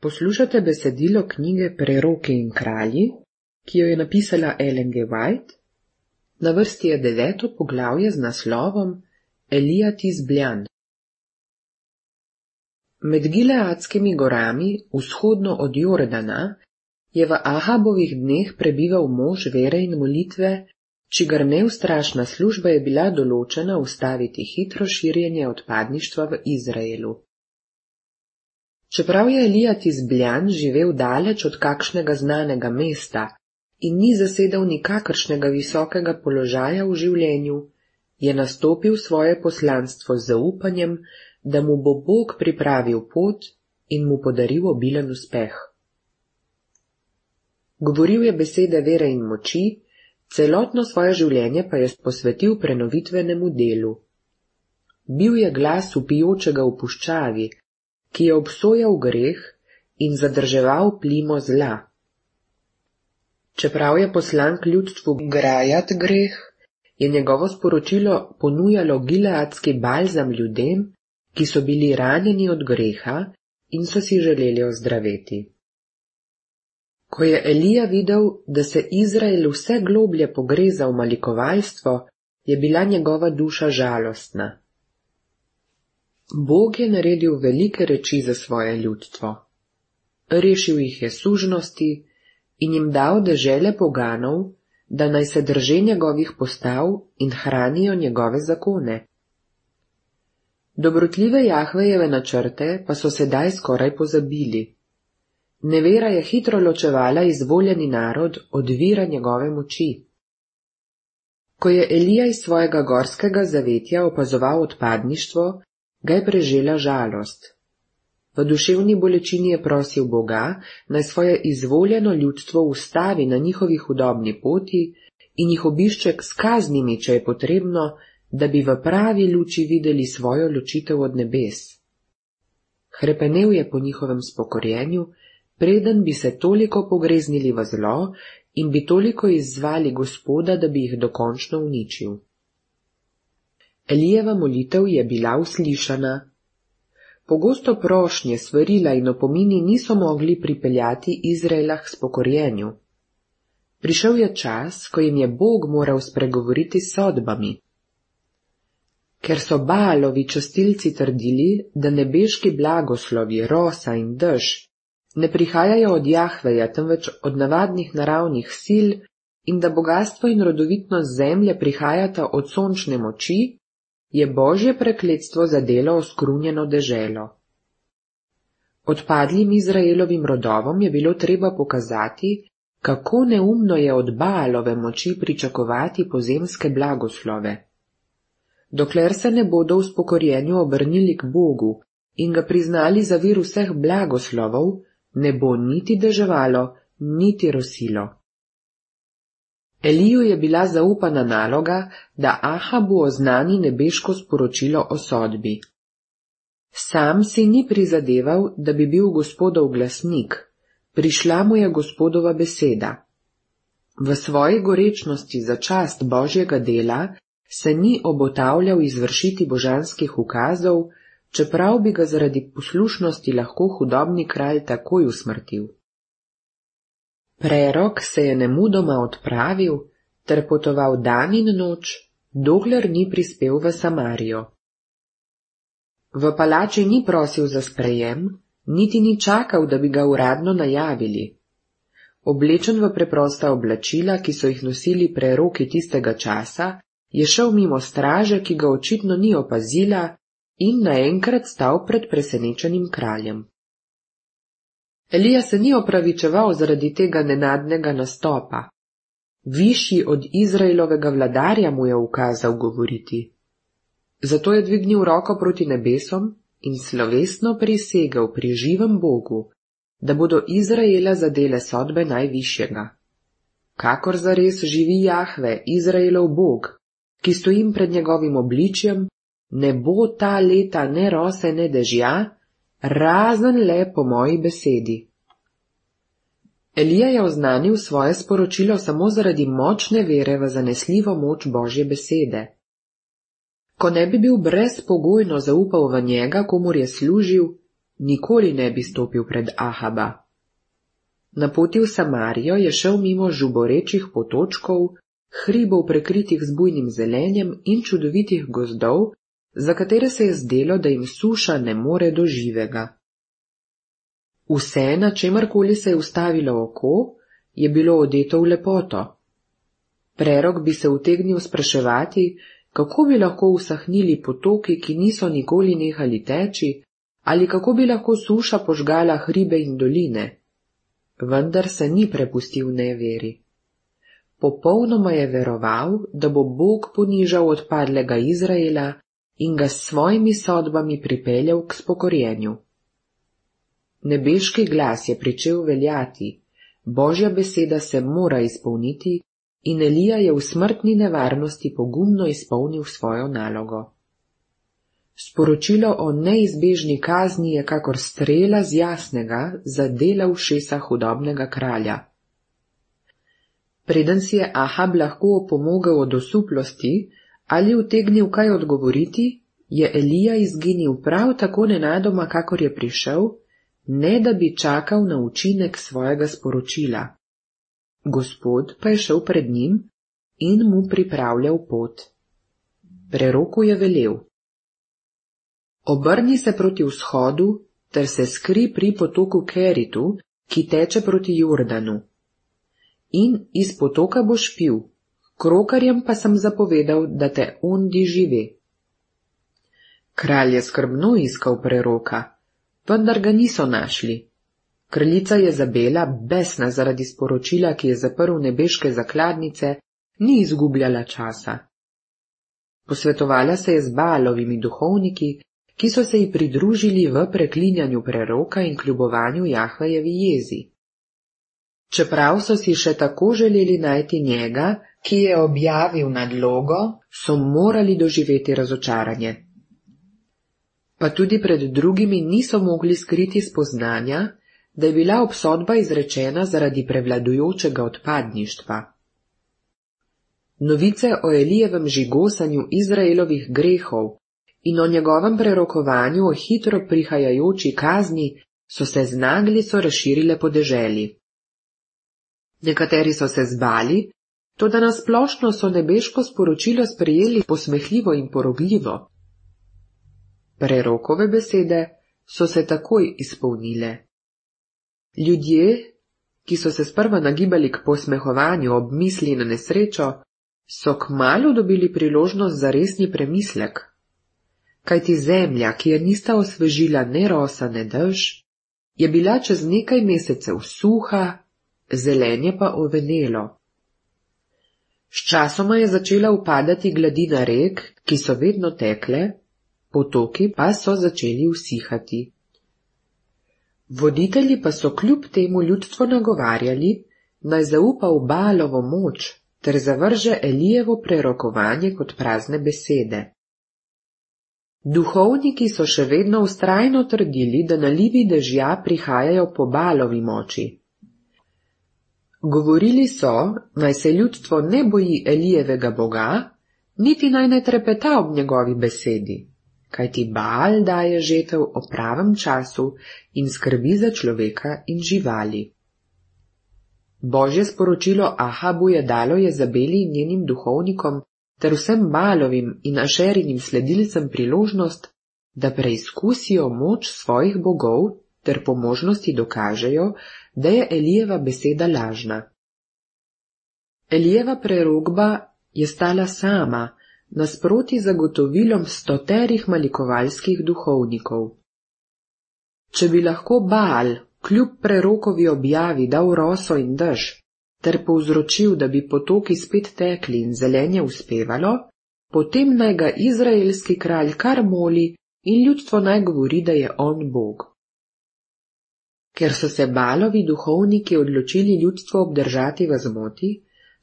Poslušate besedilo knjige Preroki in kralji, ki jo je napisala Ellen G. White. Na vrsti je 9. poglavje z naslovom Elija Tizbljan. Med Gileadskimi gorami, vzhodno od Jordana, je v Ahabovih dneh prebival mož vere in molitve, čigar neustrašna služba je bila določena ustaviti hitro širjenje odpadništva v Izraelu. Čeprav je Elija Tizbljan živel daleč od kakšnega znanega mesta in ni zasedal nikakršnega visokega položaja v življenju, je nastopil svoje poslanstvo z zaupanjem, da mu bo Bog pripravil pot in mu podaril obilen uspeh. Govoril je besede vere in moči, celotno svoje življenje pa je posvetil prenovitvenemu delu. Bil je glas vpijočega v puščavi, ki je obsojal greh in zadrževal plimo zla. Čeprav je poslan k ljudstvu grajat greh, je njegovo sporočilo ponujalo gileadski balzam ljudem, ki so bili ranjeni od greha in so si želeli ozdraveti. Ko je Elija videl, da se Izrael vse globlje pogreza v malikovalstvo, je bila njegova duša žalostna. Bog je naredil velike reči za svoje ljudstvo. Rešil jih je sužnosti in jim dal dežele poganov, da naj se drže njegovih postav in hranijo njegove zakone. Dobrotljive Jahvejeve načrte pa so sedaj skoraj pozabili. Nevera je hitro ločevala izvoljeni narod od vira njegove moči. Ko je Elija iz svojega gorskega zavetja opazoval odpadništvo, ga je prežela žalost. V duševni bolečini je prosil Boga, naj svoje izvoljeno ljudstvo ustavi na njihovi hudobni poti in jih obišče s kaznimi, če je potrebno, da bi v pravi luči videli svojo ločitev od nebes. Hrepenel je po njihovem spokorjenju, preden bi se toliko pogreznili v zlo in bi toliko izzvali Gospoda, da bi jih dokončno uničil. Elijeva molitev je bila uslišana. Pogosto prošnje, svarila in opomini niso mogli pripeljati Izraela k spokorjenju. Prišel je čas, ko jim je Bog moral spregovoriti s sodbami. Ker so Baalovi častilci trdili, da nebeški blagoslovi, rosa in dež ne prihajajo od Jahveja, temveč od navadnih naravnih sil in da bogastvo in rodovitnost zemlje prihajata od sončne moči, je Božje prekletstvo zadelo oskrunjeno deželo. Odpadlim Izraelovim rodovom je bilo treba pokazati, kako neumno je od Baalove moči pričakovati pozemske blagoslove. Dokler se ne bodo v spokorjenju obrnili k Bogu in ga priznali za vir vseh blagoslovov, ne bo niti deževalo, niti rosilo. Eliju je bila zaupana naloga, da Ahabu oznani nebeško sporočilo o sodbi. Sam si ni prizadeval, da bi bil Gospodov glasnik, prišla mu je Gospodova beseda. V svoji gorečnosti za čast Božjega dela se ni obotavljal izvršiti božanskih ukazov, čeprav bi ga zaradi poslušnosti lahko hudobni kralj takoj usmrtil. Prerok se je nemudoma odpravil ter potoval dan in noč, dokler ni prispel v Samarijo. V palači ni prosil za sprejem, niti ni čakal, da bi ga uradno najavili. Oblečen v preprosta oblačila, ki so jih nosili preroki tistega časa, je šel mimo straže, ki ga očitno ni opazila, in naenkrat stal pred presenečenim kraljem. Elija se ni opravičeval zaradi tega nenadnega nastopa. Višji od Izraelovega vladarja mu je ukazal govoriti. Zato je dvignil roko proti nebesom in slovesno prisegel pri živem Bogu, da bodo Izraela zadele sodbe najvišjega. Kakor zares živi Jahve, Izraelov Bog, ki stojim pred njegovim obličjem, ne bo ta leta ne rose ne dežja, razen le po moji besedi. Elija je oznanil svoje sporočilo samo zaradi močne vere v zanesljivo moč Božje besede. Ko ne bi bil brezpogojno zaupal v njega, komur je služil, nikoli ne bi stopil pred Ahaba. Na poti v Samarijo je šel mimo žuborečih potočkov, hribov prekritih z bujnim zelenjem in čudovitih gozdov, za katere se je zdelo, da jim suša ne more do živega. Vse, na čemarkoli se je ustavilo oko, je bilo odeto v lepoto. Prerok bi se utegnil spraševati, kako bi lahko usahnili potoki, ki niso nikoli nehali teči, ali kako bi lahko suša požgala hribe in doline. Vendar se ni prepustil neveri. Popolnoma je veroval, da bo Bog ponižal odpadlega Izraela in ga s svojimi sodbami pripeljal k spokorjenju. Nebeški glas je pričel veljati, Božja beseda se mora izpolniti in Elija je v smrtni nevarnosti pogumno izpolnil svojo nalogo. Sporočilo o neizbežni kazni je kakor strela z jasnega zadela ušesa hudobnega kralja. Preden si je Ahab lahko opomogel od osuplosti ali utegnil kaj odgovoriti, je Elija izginil prav tako nenadoma, kakor je prišel, ne da bi čakal na učinek svojega sporočila. Gospod pa je šel pred njim in mu pripravljal pot. Preroku je velel: obrni se proti vzhodu ter se skri pri potoku Keritu, ki teče proti Jordanu. In iz potoka boš pil, krokarjem pa sem zapovedal, da te ondi žive. Kralj je skrbno iskal preroka, vendar ga niso našli. Kraljica Jezabela, besna zaradi sporočila, ki je zaprl nebeške zakladnice, ni izgubljala časa. Posvetovala se je z Baalovimi duhovniki, ki so se ji pridružili v preklinjanju preroka in kljubovanju Jahvejevi jezi. Čeprav so si še tako želeli najti njega, ki je objavil nadlogo, so morali doživeti razočaranje. Pa tudi pred drugimi niso mogli skriti spoznanja, da je bila obsodba izrečena zaradi prevladujočega odpadništva. Novice o Elijevem žigosanju Izraelovih grehov in o njegovem prerokovanju o hitro prihajajoči kazni so se z naglico razširile po deželi. Nekateri so se zbali, toda nasplošno so nebeško sporočilo sprejeli posmehljivo in porogljivo. Prerokove besede so se takoj izpolnile. Ljudje, ki so se sprva nagibali k posmehovanju ob misli na nesrečo, so kmalu dobili priložnost za resni premislek. Kajti zemlja, ki je nista osvežila ne rosa ne dež, je bila čez nekaj mesecev suha, zelenje pa ovenelo. Sčasoma je začela upadati gladina rek, ki so vedno tekle, potoki pa so začeli usihati. Voditelji pa so kljub temu ljudstvo nagovarjali, naj zaupa v Baalovo moč ter zavrže Elijevo prerokovanje kot prazne besede. Duhovniki so še vedno vztrajno trdili, da nalivi dežja prihajajo po Baalovi moči. Govorili so, naj se ljudstvo ne boji Elijevega Boga, niti naj ne trepeta ob njegovi besedi, kajti Baal daje žetev o pravem času in skrbi za človeka in živali. Božje sporočilo Ahabu je dalo Jezabeli in njenim duhovnikom ter vsem Baalovim in Ašerinim sledilcem priložnost, da preizkusijo moč svojih bogov ter po možnosti dokažejo, da je Elijeva beseda lažna. Elijeva prerokba je stala sama, nasproti zagotovilom stoterih malikovalskih duhovnikov. Če bi lahko Baal kljub prerokovi objavi dal roso in dež, ter povzročil, da bi potoki spet tekli in zelenje uspevalo, potem naj ga izraelski kralj kar moli in ljudstvo naj govori, da je on Bog. Ker so se Baalovi duhovniki odločili ljudstvo obdržati v zmoti,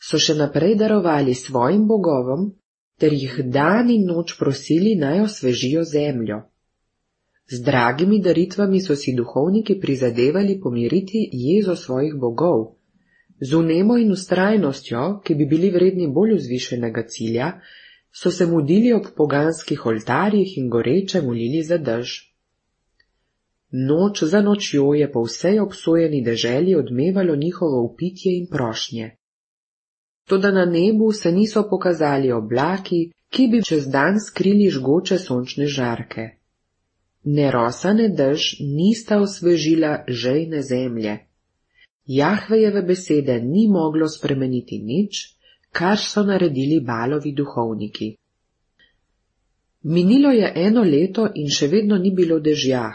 so še naprej darovali svojim bogovom, ter jih dan in noč prosili, naj osvežijo zemljo. Z dragimi daritvami so si duhovniki prizadevali pomiriti jezo svojih bogov. Z vnemo in vztrajnostjo, ki bi bili vredni bolj vzvišenega cilja, so se mudili ob poganskih oltarjih in goreče molili za dež. Noč za nočjo je po vsej obsojeni deželi odmevalo njihovo vpitje in prošnje. Toda na nebu se niso pokazali oblaki, ki bi čez dan skrili žgoče sončne žarke. Ne rosa ne dež nista osvežila žejne zemlje. Jahvejeve besede ni moglo spremeniti nič, kar so naredili Balovi duhovniki. Minilo je 1 leto in še vedno ni bilo dežja.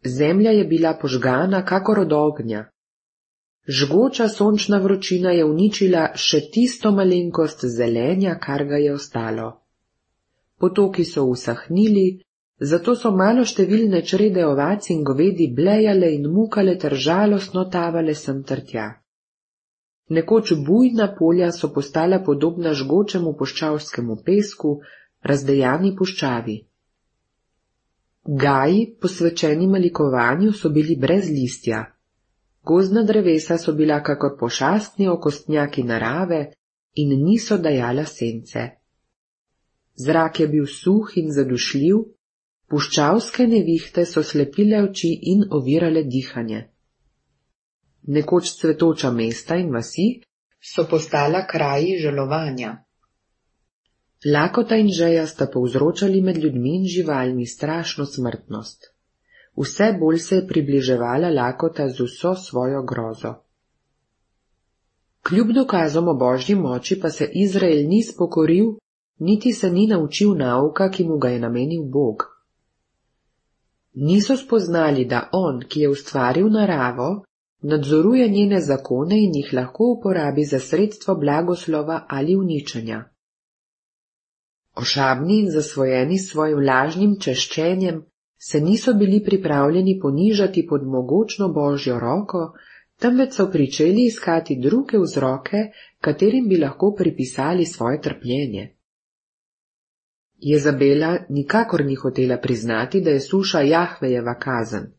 Zemlja je bila požgana kakor od ognja. Žgoča sončna vročina je uničila še tisto malenkost zelenja, kar ga je ostalo. Potoki so usahnili, zato so maloštevilne črede ovac in govedi blejale in mukale ter žalostno tavale sem ter tja. Nekoč bujna polja so postala podobna žgočemu puščavskemu pesku, razdejani puščavi. Gaji, posvečeni malikovanju, so bili brez listja. Gozdna drevesa so bila kakor pošastni okostnjaki narave in niso dajala sence. Zrak je bil suh in zadušljiv, puščavske nevihte so slepile oči in ovirale dihanje. Nekoč cvetoča mesta in vasi so postala kraji žalovanja. Lakota in žeja sta povzročali med ljudmi in živalmi strašno smrtnost. Vse bolj se je približevala lakota z vso svojo grozo. Kljub dokazom o božji moči pa se Izrael ni spokoril, niti se ni naučil nauka, ki mu ga je namenil Bog. Niso spoznali, da on, ki je ustvaril naravo, nadzoruje njene zakone in jih lahko uporabi za sredstvo blagoslova ali uničenja. Ošabni in zasvojeni s svojim lažnim češčenjem se niso bili pripravljeni ponižati pod mogočno božjo roko, temveč so pričeli iskati druge vzroke, katerim bi lahko pripisali svoje trpljenje. Jezabela nikakor ni hotela priznati, da je suša Jahvejeva kazen.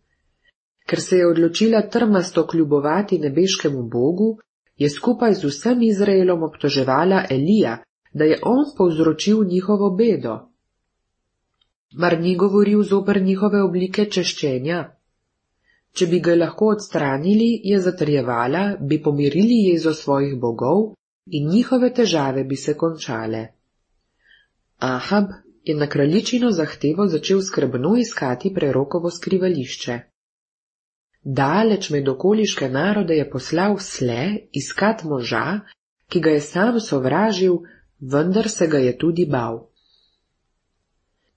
Ker se je odločila trmasto kljubovati nebeškemu Bogu, je skupaj z vsem Izraelom obtoževala Elija, da je on povzročil njihovo bedo. Mar ni govoril zoper njihove oblike češčenja? Če bi ga lahko odstranili, je zatrjevala, bi pomirili jezo svojih bogov in njihove težave bi se končale. Ahab je na kraljičino zahtevo začel skrbno iskati prerokovo skrivališče. Daleč med okoliške narode je poslal sle iskat moža, ki ga je sam sovražil, vendar se ga je tudi bal.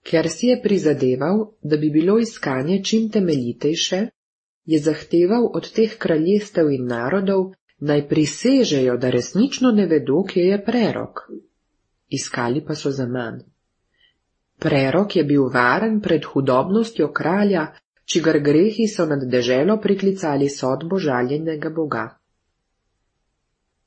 Ker si je prizadeval, da bi bilo iskanje čim temeljitejše, je zahteval od teh kraljestev in narodov, naj prisežejo, da resnično ne vedo, kje je prerok. Iskali pa so zaman. Prerok je bil varen pred hudobnostjo kralja, čigar grehi so nad deželo priklicali sodbo žaljenega Boga.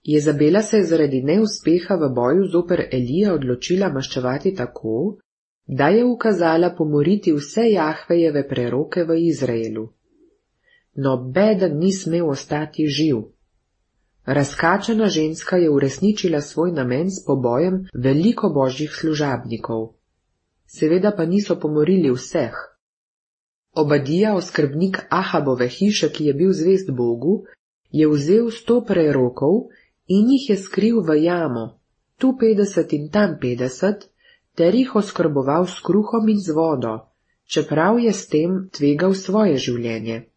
Jezabela se je zaradi neuspeha v boju zoper Elija odločila maščevati tako, da je ukazala pomoriti vse Jahvejeve preroke v Izraelu. Nobeden ni smel ostati živ. Razkačena ženska je uresničila svoj namen s pobojem veliko božjih služabnikov. Seveda pa niso pomorili vseh. Obadija, oskrbnik Ahabove hiše, ki je bil zvest Bogu, je vzel 100 prerokov in jih je skril v jamo, tu 50 in tam 50, ter jih oskrboval s kruhom in z vodo, čeprav je s tem tvegal svoje življenje.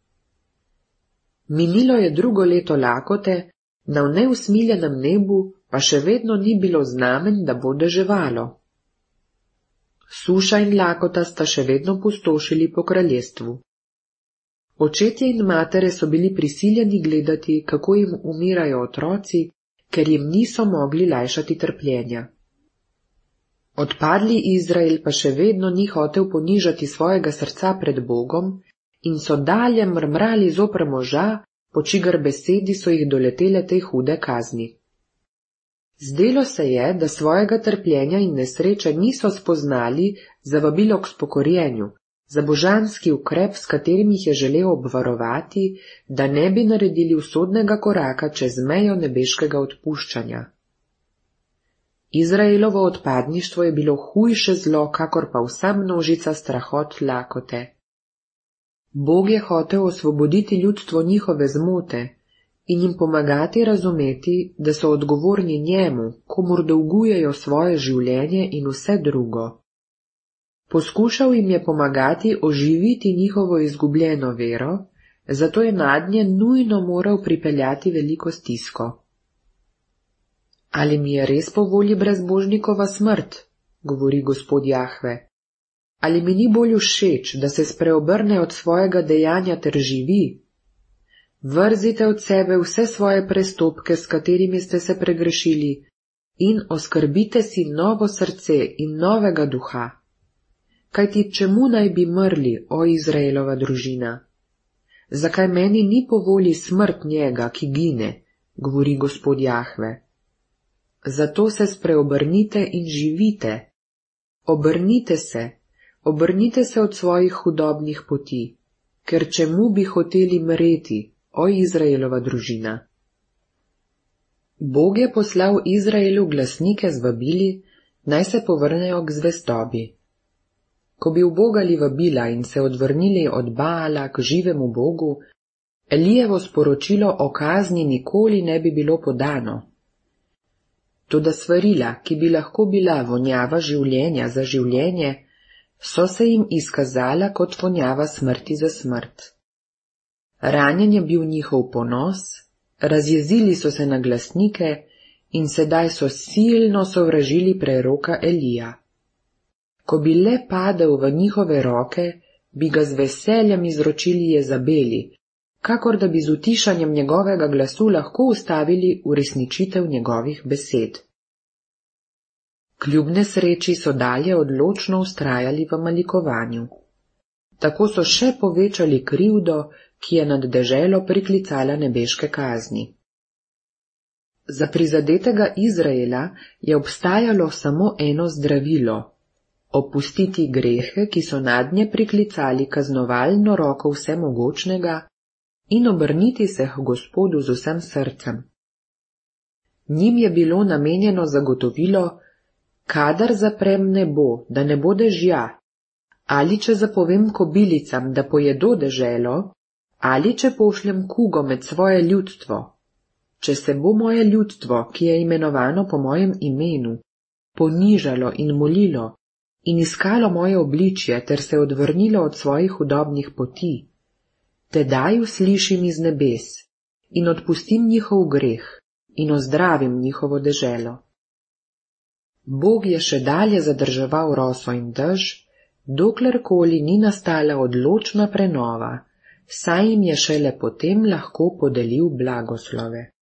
Minilo je 2. leto lakote, na neusmiljenem nebu pa še vedno ni bilo znamen, da bo deževalo. Suša in lakota sta še vedno pustošili po kraljestvu. Očetje in matere so bili prisiljeni gledati, kako jim umirajo otroci, ker jim niso mogli lajšati trpljenja. Odpadli Izrael pa še vedno ni hotel ponižati svojega srca pred Bogom in so dalje mrmrali zoper moža, po čigar besedi so jih doletele te hude kazni. Zdelo se je, da svojega trpljenja in nesreče niso spoznali za vabilo k spokorjenju, za božanski ukrep, s katerim jih je želel obvarovati, da ne bi naredili usodnega koraka čez mejo nebeškega odpuščanja. Izraelovo odpadništvo je bilo hujše zlo, kakor pa vsa množica strahot lakote. Bog je hotel osvoboditi ljudstvo njihove zmote in jim pomagati razumeti, da so odgovorni njemu, komur dolgujejo svoje življenje in vse drugo. Poskušal jim je pomagati oživiti njihovo izgubljeno vero, zato je nadnje nujno moral pripeljati veliko stisko. Ali mi je res po volji brezbožnikova smrt, govori Gospod Jahve. Ali mi ni bolj všeč, da se spreobrne od svojega dejanja ter živi? Vrzite od sebe vse svoje prestopke, s katerimi ste se pregrešili, in oskrbite si novo srce in novega duha. Kajti čemu naj bi mrli, o Izraelova družina? Zakaj meni ni po volji smrt njega, ki gine, govori Gospod Jahve. Zato se spreobrnite in živite. Obrnite se od svojih hudobnih poti, ker čemu bi hoteli mreti, o Izraelova družina? Bog je poslal Izraelu glasnike z vabili, naj se povrnejo k zvestobi. Ko bi ubogali vabila in se odvrnili od Baala k živemu Bogu, Elijevo sporočilo o kazni nikoli ne bi bilo podano. Toda svarila, ki bi lahko bila vonjava življenja za življenje, so se jim izkazala kot vonjava smrti za smrt. Ranjen je bil njihov ponos, razjezili so se na glasnike in sedaj so silno sovražili preroka Elija. Ko bi le padel v njihove roke, bi ga z veseljem izročili Jezabeli, kakor da bi z utišanjem njegovega glasu lahko ustavili uresničitev njegovih besed. Kljub nesreči so dalje odločno vztrajali v malikovanju. Tako so še povečali krivdo, ki je nad deželo priklicala nebeške kazni. Za prizadetega Izraela je obstajalo samo eno zdravilo – opustiti grehe, ki so nadnje priklicali kaznovalno roko vsemogočnega, in obrniti se k Gospodu z vsem srcem. Njim je bilo namenjeno zagotovilo, kadar zaprem nebo, da ne bo dežja, ali če zapovem kobilicam, da pojedo deželo, ali če pošljem kugo med svoje ljudstvo. Če se bo moje ljudstvo, ki je imenovano po mojem imenu, ponižalo in molilo in iskalo moje obličje ter se odvrnilo od svojih hudobnih poti, tedaj uslišim iz nebes in odpustim njihov greh in ozdravim njihovo deželo. Bog je še dalje zadrževal roso in dež, doklerkoli ni nastala odločna prenova, saj jim je šele potem lahko podelil blagoslove.